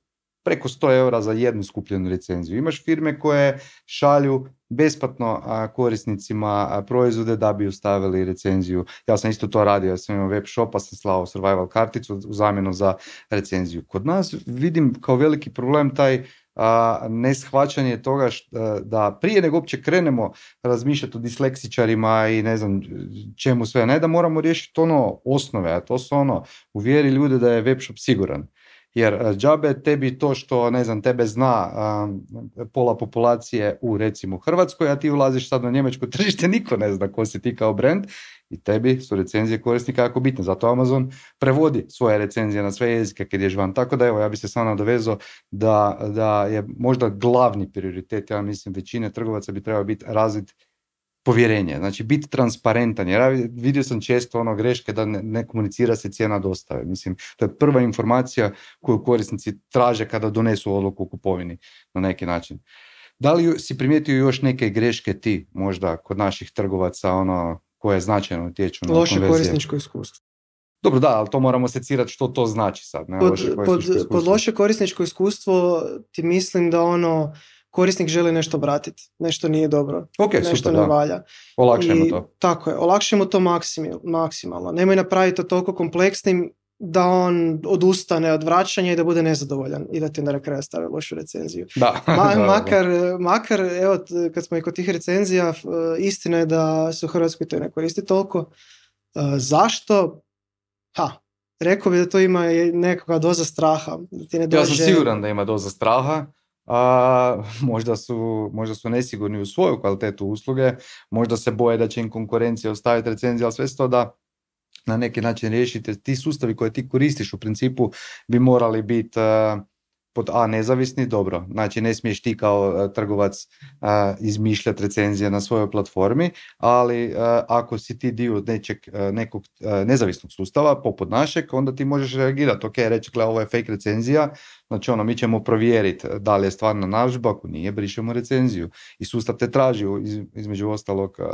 preko sto eura za jednu skupljenu recenziju. Imaš firme koje šalju besplatno korisnicima proizvode da bi ustavili recenziju. Ja sam isto to radio, ja sam imao web shop, pa sam slao survival karticu u zamjenu za recenziju. Kod nas vidim kao veliki problem taj a, neshvaćanje toga šta, da prije nego uopće krenemo razmišljati o disleksičarima i ne znam čemu sve, ne da moramo riješiti ono osnove, a to su ono, uvjeri ljude da je web shop siguran. Jer džabe tebi to što, ne znam, tebe zna um, pola populacije u, recimo, Hrvatskoj, a ti ulaziš sad na njemačko tržište, niko ne zna ko si ti kao brand i tebi su recenzije korisnika jako bitne. Zato Amazon prevodi svoje recenzije na sve jezike kad ješ van. Tako da, evo, ja bi se sam nadovezao da, da je možda glavni prioritet, ja mislim, većine trgovaca bi trebao biti razvit povjerenje, znači biti transparentan, jer ja vidio sam često ono greške da ne, ne komunicira se cijena dostave. Mislim, to je prva informacija koju korisnici traže kada donesu odluku o kupovini na neki način. Da li si primijetio još neke greške ti možda kod naših trgovaca ono koje značajno utječu na loše konverzije? korisničko iskustvo. Dobro, da, ali to moramo secirati što to znači sad. Ne? Pod, Loše pod, pod loše korisničko iskustvo ti mislim da ono korisnik želi nešto vratiti, nešto nije dobro, okay, nešto super, ne da. valja. Olakšajmo I, to. Tako je, olakšajmo to maksimil, maksimalno. Nemoj napraviti to toliko kompleksnim da on odustane od vraćanja i da bude nezadovoljan i da ti na kraju stavi lošu recenziju. Da. Ma, da, makar, da. makar, evo, kad smo i kod tih recenzija, istina je da se u Hrvatskoj to ne koristi toliko. Zašto? Ha, rekao bi da to ima nekakva doza straha. Da ti ne dođe... Ja sam siguran da ima doza straha. A, možda, su, možda su nesigurni u svoju kvalitetu usluge, možda se boje da će im konkurencija ostaviti recenzije, ali sve to da na neki način riješite. Ti sustavi koje ti koristiš u principu bi morali biti uh, pod A nezavisni, dobro, znači ne smiješ ti kao uh, trgovac uh, izmišljati recenzije na svojoj platformi, ali uh, ako si ti dio nečeg, uh, nekog uh, nezavisnog sustava poput našeg, onda ti možeš reagirati, ok, reći, gle, ovo je fake recenzija, znači ono, mi ćemo provjeriti da li je stvarna narudžba, ako nije, brišemo recenziju. I sustav te traži iz, između ostalog uh,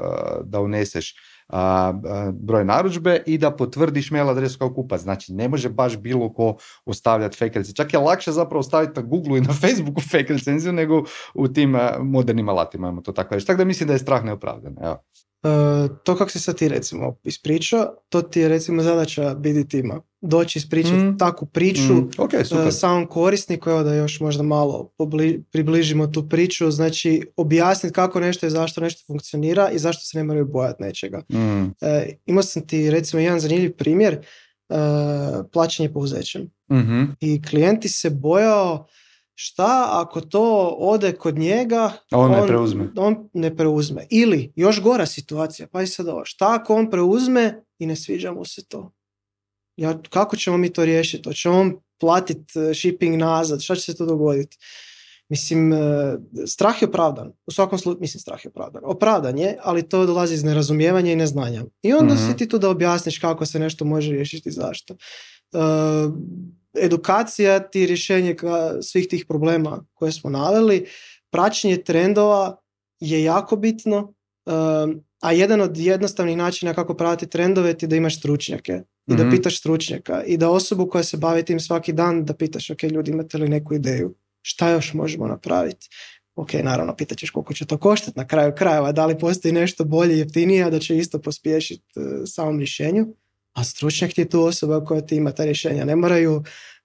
da uneseš uh, uh, broj narudžbe i da potvrdiš mail adresu kao kupac. Znači ne može baš bilo ko ostavljati fake recenziju. Čak je lakše zapravo staviti na Google i na Facebooku fake recenziju nego u tim uh, modernim alatima, imamo to tako reći. Tako da mislim da je strah neopravdan. Evo. Uh, to kako se sad ti recimo ispričao, to ti je recimo zadaća B D tima. Doći ispričati mm. takvu priču mm. okay, uh, samom korisniku, evo da još možda malo pobli, približimo tu priču, znači objasniti kako nešto i zašto nešto funkcionira i zašto se ne moraju bojati nečega. Mm. Uh, imao sam ti recimo jedan zanimljiv primjer, uh, plaćanje pouzećem. Mm-hmm. I klijenti se bojao šta ako to ode kod njega, on, on ne preuzme. on ne preuzme. Ili, još gora situacija, pa i sad ovo, šta ako on preuzme i ne sviđa mu se to? Ja, kako ćemo mi to riješiti? Hoće on platiti shipping nazad? Šta će se to dogoditi? Mislim, strah je opravdan. U svakom slučaju, mislim, strah je opravdan. Opravdan je, ali to dolazi iz nerazumijevanja i neznanja. I onda mm-hmm. si ti tu da objasniš kako se nešto može riješiti i zašto. Uh, edukacija ti rješenje svih tih problema koje smo naveli, praćenje trendova je jako bitno, um, a jedan od jednostavnih načina kako pratiti trendove ti da imaš stručnjake i mm-hmm. da pitaš stručnjaka i da osobu koja se bavi tim svaki dan da pitaš, ok, ljudi, imate li neku ideju, šta još možemo napraviti? Ok, naravno, pitat ćeš koliko će to koštati na kraju krajeva, da li postoji nešto bolje, jeftinije, da će isto pospješiti uh, samom rješenju. A stručnjak ti je tu osoba koja ti ima ta rješenja. Ne moraju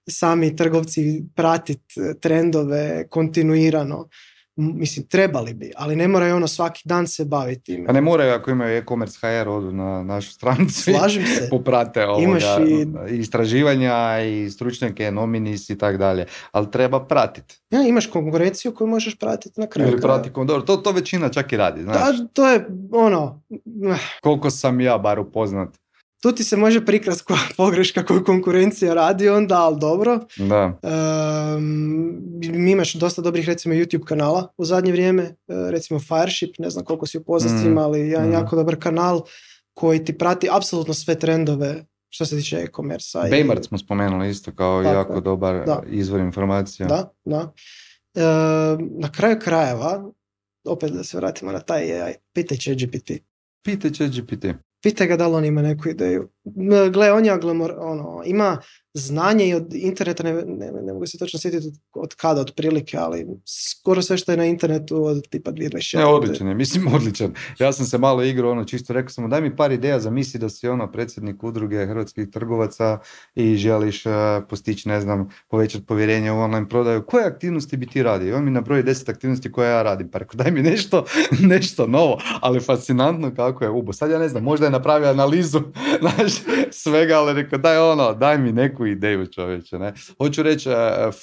sami trgovci pratiti trendove kontinuirano. mislim, trebali bi, ali ne moraju ono svaki dan se baviti time. A ne moraju, ako imaju e-commerce ha er, odu na našu stranicu. Slažem se. Poprate ovoga, Imaš i... istraživanja i stručnjake, nominis i tak dalje. Ali treba pratiti. Ja, imaš konkurenciju koju možeš pratiti na kraju. Ili prati, dobro, to, to većina čak i radi, znaš. Da, to je ono... Koliko sam ja bar upoznat. Tu ti se može prikrast koja pogreška koju konkurencija radi onda, ali dobro. Da. Um, mi imaš dosta dobrih, recimo, YouTube kanala u zadnje vrijeme, recimo Fireship, ne znam koliko si upoznat s njima, ali jedan mm. jako dobar kanal koji ti prati apsolutno sve trendove što se tiče e-commerce. Baymart smo spomenuli isto kao tako, jako dobar da. izvor informacija. Da, da. E, na kraju krajeva, opet da se vratimo na taj A I, pitaj ChatGPT. Pitaj ChatGPT. Pitaj ga da li on ima neku ideju. Gle, on je aglamor, ono, ima znanje i od interneta, ne, ne, ne mogu se točno sjetiti od, od kada, od prilike, ali skoro sve što je na internetu od tipa dvije tisuće dvadeset četvrte. Ne, odličan je, mislim odličan. Ja sam se malo igrao, ono, čisto rekao sam mu, daj mi par ideja za misli da si ono predsjednik udruge hrvatskih trgovaca i želiš uh, postići, ne znam, povećati povjerenje u online prodaju. Koje aktivnosti bi ti radio? I on mi nabroji deset aktivnosti koje ja radim, pa rekao, daj mi nešto, nešto novo, ali fascinantno kako je ubo. Sad ja ne znam, možda je napravio analizu, znaš, svega, ali rekao, daj ono, daj mi neku ideju, čovječe, ne. Hoću reći,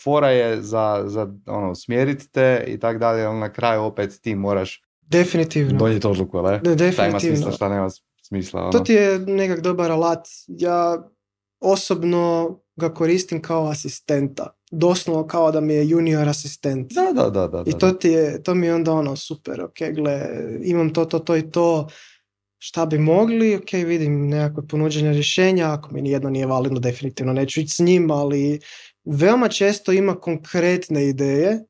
fora je za, za ono, smjeriti te i tak dalje, ali na kraju opet ti moraš definitivno donijeti odluku, ne? De, definitivno. Šta ima smisla, šta nema smisla. Ono. To ti je nekak dobar alat. Ja osobno ga koristim kao asistenta. Doslovno kao da mi je junior asistent. Da, da, da. da I to, ti je, to mi je onda ono super, ok, gle, imam to, to, to i to, šta bi mogli, ok, vidim nekakve ponuđene rješenja, ako mi nijedno nije validno, definitivno neću ići s njim, ali veoma često ima konkretne ideje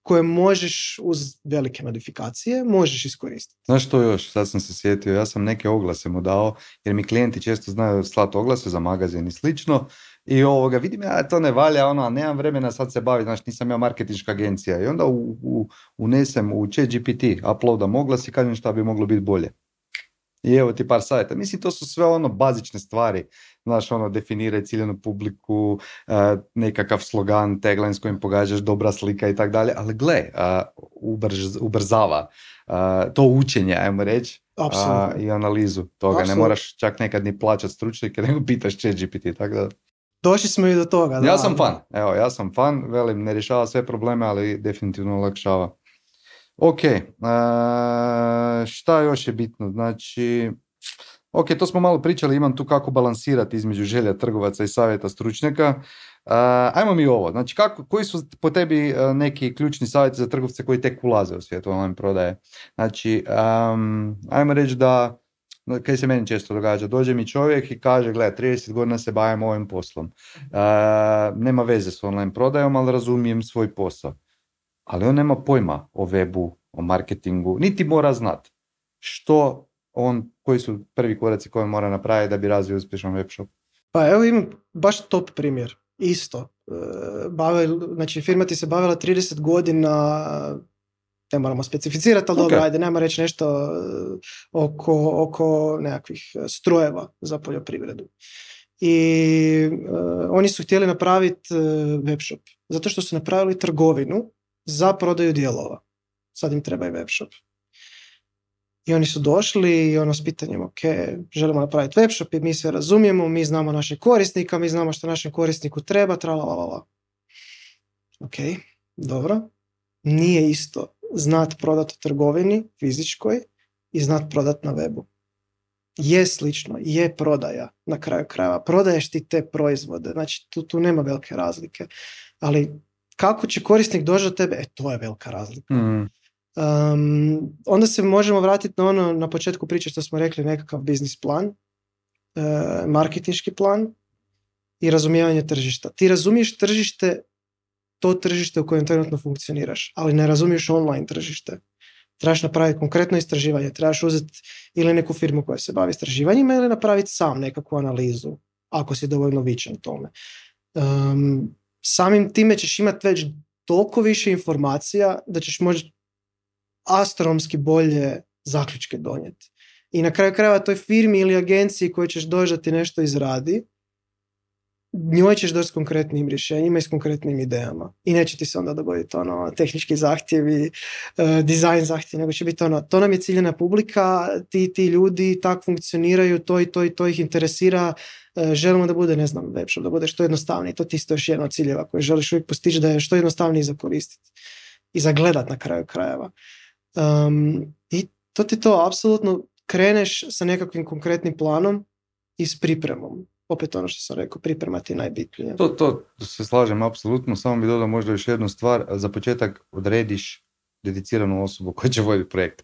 koje možeš uz velike modifikacije, možeš iskoristiti. Znaš što još, sad sam se sjetio, ja sam neke oglase mu dao, jer mi klijenti često znaju slati oglase za magazin i slično, i ovoga, vidim ja, to ne valja, ono, a nemam vremena sad se baviti, znači nisam ja marketinška agencija, i onda u, u, unesem u ChatGPT, uploadam oglas i kažem šta bi moglo biti bolje. I evo ti par savjeta. Mislim, to su sve ono bazične stvari. Znaš, ono, definiraj ciljenu publiku, uh, nekakav slogan, tagline s kojim pogađaš, dobra slika i tak dalje. Ali gle, uh, ubrz, ubrzava uh, to učenje, ajmo reći, uh, i analizu toga. Absolutno. Ne moraš čak nekad ni plaćati stručnjake, nego pitaš ChatGPT, tako da... Došli smo i do toga. Da. Ja sam fan, evo, ja sam fan, velim, ne rješava sve probleme, ali definitivno olakšava. Ok, uh, šta još je bitno, znači, ok, to smo malo pričali, imam tu kako balansirati između želja trgovaca i savjeta stručnjaka. Uh, ajmo mi ovo, znači kako, koji su po tebi uh, neki ključni savjeti za trgovce koji tek ulaze u svijet online prodaje? Znači, um, ajmo reći da, kaj se meni često događa, dođe mi čovjek i kaže, gle, trideset godina se bavim ovim poslom, uh, nema veze s online prodajom, ali razumijem svoj posao. Ali on nema pojma o webu, o marketingu, niti mora znati što on, koji su prvi koraci koje mora napraviti da bi razvio uspješan web shop. Pa evo imam baš top primjer, isto. Bave, znači firma ti se bavila trideset godina, ne moramo specificirati, ali okay. Dobro, ajde, nema reći nešto oko, oko nekakvih strojeva za poljoprivredu. I uh, oni su htjeli napraviti uh, web shop, zato što su napravili trgovinu za prodaju dijelova. Sad im treba i web shop. I oni su došli i ono s pitanjem, ok, želimo napraviti web shop i mi sve razumijemo, mi znamo našeg korisnika, mi znamo što našem korisniku treba, tralalala. Ok, dobro. Nije isto znat prodat u trgovini fizičkoj i znat prodat na webu. Je slično, je prodaja na kraju krajeva. Prodaješ ti te proizvode, znači tu, tu nema velike razlike. Ali kako će korisnik doći do tebe, e to je velika razlika. Mm. Um, onda se možemo vratiti na ono na početku priče što smo rekli, nekakav biznis plan, uh, marketinški plan i razumijevanje tržišta. Ti razumiješ tržište, to tržište u kojem trenutno funkcioniraš, ali ne razumiješ online tržište. Trebaš napraviti konkretno istraživanje, trebaš uzeti ili neku firmu koja se bavi istraživanjima ili napraviti sam nekakvu analizu, ako si dovoljno vičan tome. Um, samim time ćeš imati već toliko više informacija da ćeš možda astronomski bolje zaključke donijeti. I na kraju krajeva toj firmi ili agenciji koju ćeš doći da ti nešto izradi, njoj ćeš doći s konkretnim rješenjima i s konkretnim idejama. I neće ti se onda dogoditi ono, tehnički zahtjevi, uh, dizajn zahtjevi, nego će biti ono, to nam je ciljena publika, ti, ti ljudi tak funkcioniraju, to i to i to ih interesira, uh, želimo da bude, ne znam, webshop, da bude što jednostavniji, to ti isto još jedan od ciljeva koje želiš uvijek postići, da je što jednostavniji za koristiti i za gledat na kraju krajeva. Um, I to ti to, apsolutno kreneš sa nekakvim konkretnim planom i s pripremom. Opet ono što sam rekao, pripremati je najbitnije. To, to se slažem apsolutno, samo bi dodao možda još jednu stvar. Za početak odrediš dediciranu osobu koja će voditi projekt.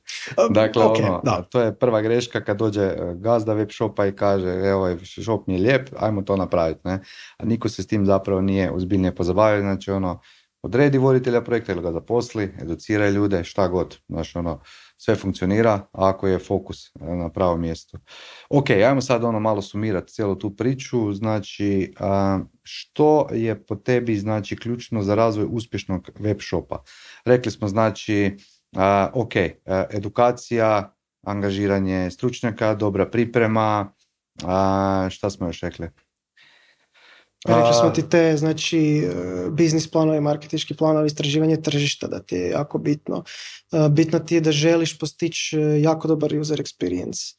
Dakle, okay, ono, da. To je prva greška kad dođe gazda web shopa i kaže evo, ovaj shop mi je lijep, ajmo to napraviti. Ne? A niko se s tim zapravo nije ozbiljnije pozabavio, znači ono, odredi voditelja projekta ili ga zaposli, educiraj ljude, šta god, znači ono, sve funkcionira ako je fokus na pravom mjestu. Ok, ajmo sad ono malo sumirati cijelu tu priču, znači što je po tebi znači ključno za razvoj uspješnog web shopa? Rekli smo znači, ok, edukacija, angažiranje stručnjaka, dobra priprema, šta smo još rekli? Rekli smo ti te, znači, biznis planovi, marketinški planovi, istraživanje tržišta, da ti je jako bitno. Bitno ti je da želiš postići jako dobar user experience.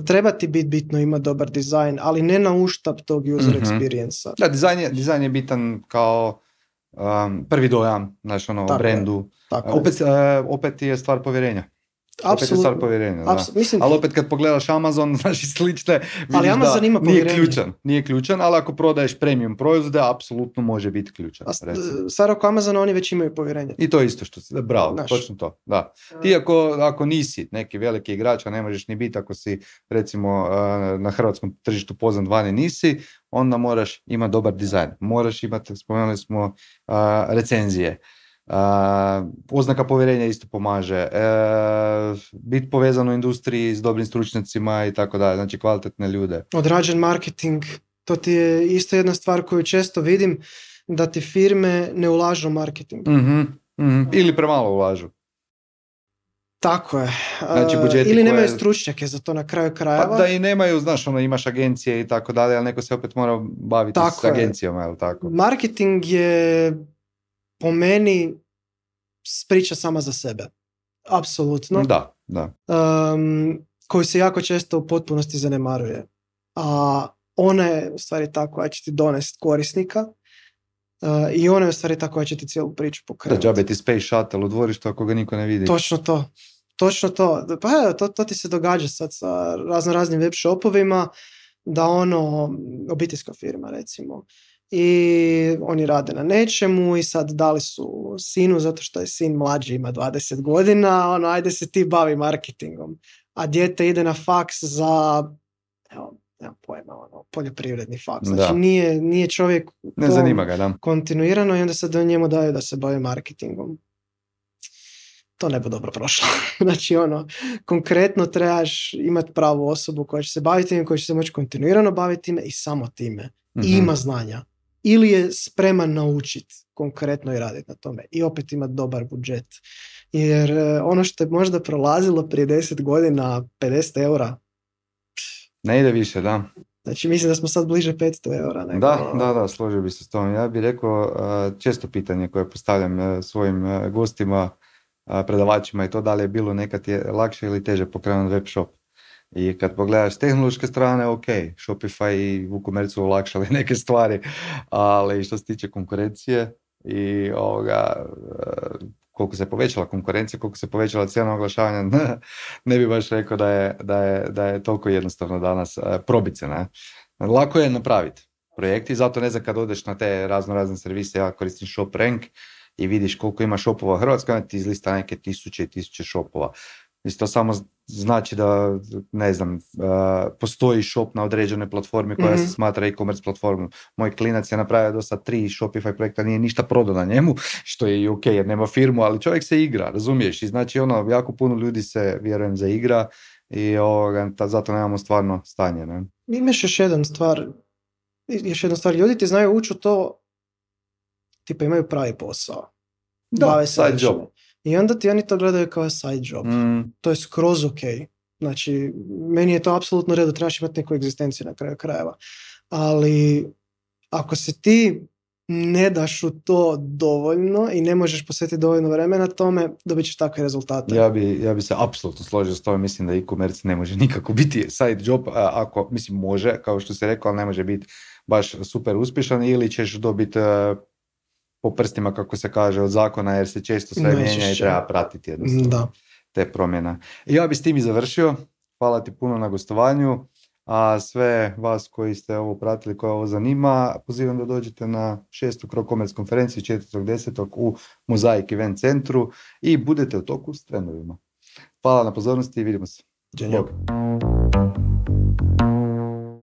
Treba ti biti bitno imati dobar dizajn, ali ne na uštap tog user mm-hmm. experience-a. Da, dizajn je, dizajn je bitan kao um, prvi dojam, znači ono, o brendu. Opet, uh, opet je stvar povjerenja. Opet je stvar povjerenja, da. Mislim, ali opet kad pogledaš Amazon, znači slične, vidiš da nije ključan, nije ključan, ali ako prodaješ premium proizvode, apsolutno može biti ključan. Stvar oko Amazona, oni već imaju povjerenje. I to je isto što si, bravo, Naš. točno to, da. Ti ako, ako nisi neki veliki igrač, a ne možeš ni biti ako si recimo na hrvatskom tržištu poznan vani nisi, onda moraš imati dobar dizajn, moraš imati, spomenuli smo, uh, recenzije. Uh, oznaka povjerenja isto pomaže, uh, biti povezan u industriji s dobrim stručnjacima i tako dalje, znači kvalitetne ljude. Odrađen marketing, to ti je isto jedna stvar koju često vidim, da ti firme ne ulažu u marketing. Mm-hmm, mm-hmm. Ili premalo ulažu. Tako je. Znači, ili koje... nemaju stručnjake za to na kraju krajeva. Pa da i nemaju, znaš, ono, imaš agencije i tako dalje, ali neko se opet mora baviti tako s agencijama, je li tako? Marketing je po meni priča sama za sebe. Apsolutno. Da, da. Um, koji se jako često u potpunosti zanemaruje. A ona je u stvari ta koja će ti donesti korisnika uh, i ona je u stvari ta koja će ti cijelu priču pokrenuti. Da, džabe ti Space Shuttle u dvorištu ako ga niko ne vidi. Točno to. Točno to. Pa evo, to, to ti se događa sad sa razno raznim web shopovima, da ono, obiteljska firma recimo, i oni rade na nečemu i sad dali su sinu zato što je sin mlađi, ima dvadeset godina, ono, ajde se ti bavi marketingom, a dijete ide na faks za, evo, nemam pojma, ono, poljoprivredni faks, znači nije, nije čovjek ne zanima ga, da. Kontinuirano i onda se do njemu daju da se bavi marketingom. To ne bi dobro prošlo. Znači ono, konkretno trebaš imati pravu osobu koja će se baviti time, koja će se moći kontinuirano baviti time i samo time. Mm-hmm. I ima znanja. Ili je spreman naučiti konkretno i raditi na tome. I opet imati dobar budžet. Jer ono što je možda prolazilo prije deset godina, pedeset eura. Ne ide više, da. Znači mislim da smo sad bliže petsto eura. Nego... Da, da, da, složio bi se s tom. Ja bih rekao često pitanje koje postavljam svojim gostima, predavačima i to da li je bilo nekad je lakše ili teže pokrenuti web shop. I kad pogledaš s tehnološke strane, ok, Shopify i WooCommerce su olakšali neke stvari, ali što se tiče konkurencije i ovoga, koliko se povećala konkurencija, koliko se povećala cijena oglašavanja, ne bi baš rekao da je, da je, da je toliko jednostavno danas probiti se. Ne? Lako je napraviti projekti, zato ne znam kad odeš na te razno razne servise, ja koristim ShopRank i vidiš koliko ima shopova u Hrvatskoj, ti izlista neke tisuće i tisuće shopova. Mislim, to samo znači da, ne znam, uh, postoji shop na određenoj platformi koja mm-hmm. se smatra e-commerce platformom. Moj klinac je napravio do sad tri Shopify projekta, nije ništa prodao na njemu, što je i ok jer nema firmu, ali čovjek se igra, razumiješ? I znači ono, jako puno ljudi se, vjerujem, za igra i ovoga, ta, zato nemamo stvarno stanje. Ne? Imaš još jedan stvar, još jedna stvar, ljudi ti znaju ući u to, tipa imaju pravi posao. Da, bave se side job. I onda ti oni to gledaju kao side job. Mm. To je skroz ok. Znači, meni je to apsolutno redo, trebaš imati neku egzistenciju na kraju krajeva. Ali ako se ti ne daš u to dovoljno i ne možeš posvetiti dovoljno vremena tome, dobit ćeš takve rezultate. Ja bi, ja bi se apsolutno složio s tobom, mislim da e-commerce ne može nikako biti side job, a, ako, mislim može, kao što si rekao, ali ne može biti baš super uspješan, ili ćeš dobiti uh, po prstima, kako se kaže, od zakona, jer se često sve Nećeš, mijenja i treba pratiti jednostavno da. te promjene. I ja bi s tim i završio. Hvala ti puno na gostovanju. A sve vas koji ste ovo pratili, koje ovo zanima, pozivam da dođete na šestu Crowcommerce konferenciju četvrtog desetog u Mozaik Event centru i budete u toku s trendovima. Hvala na pozornosti i vidimo se. Ćao. Bog.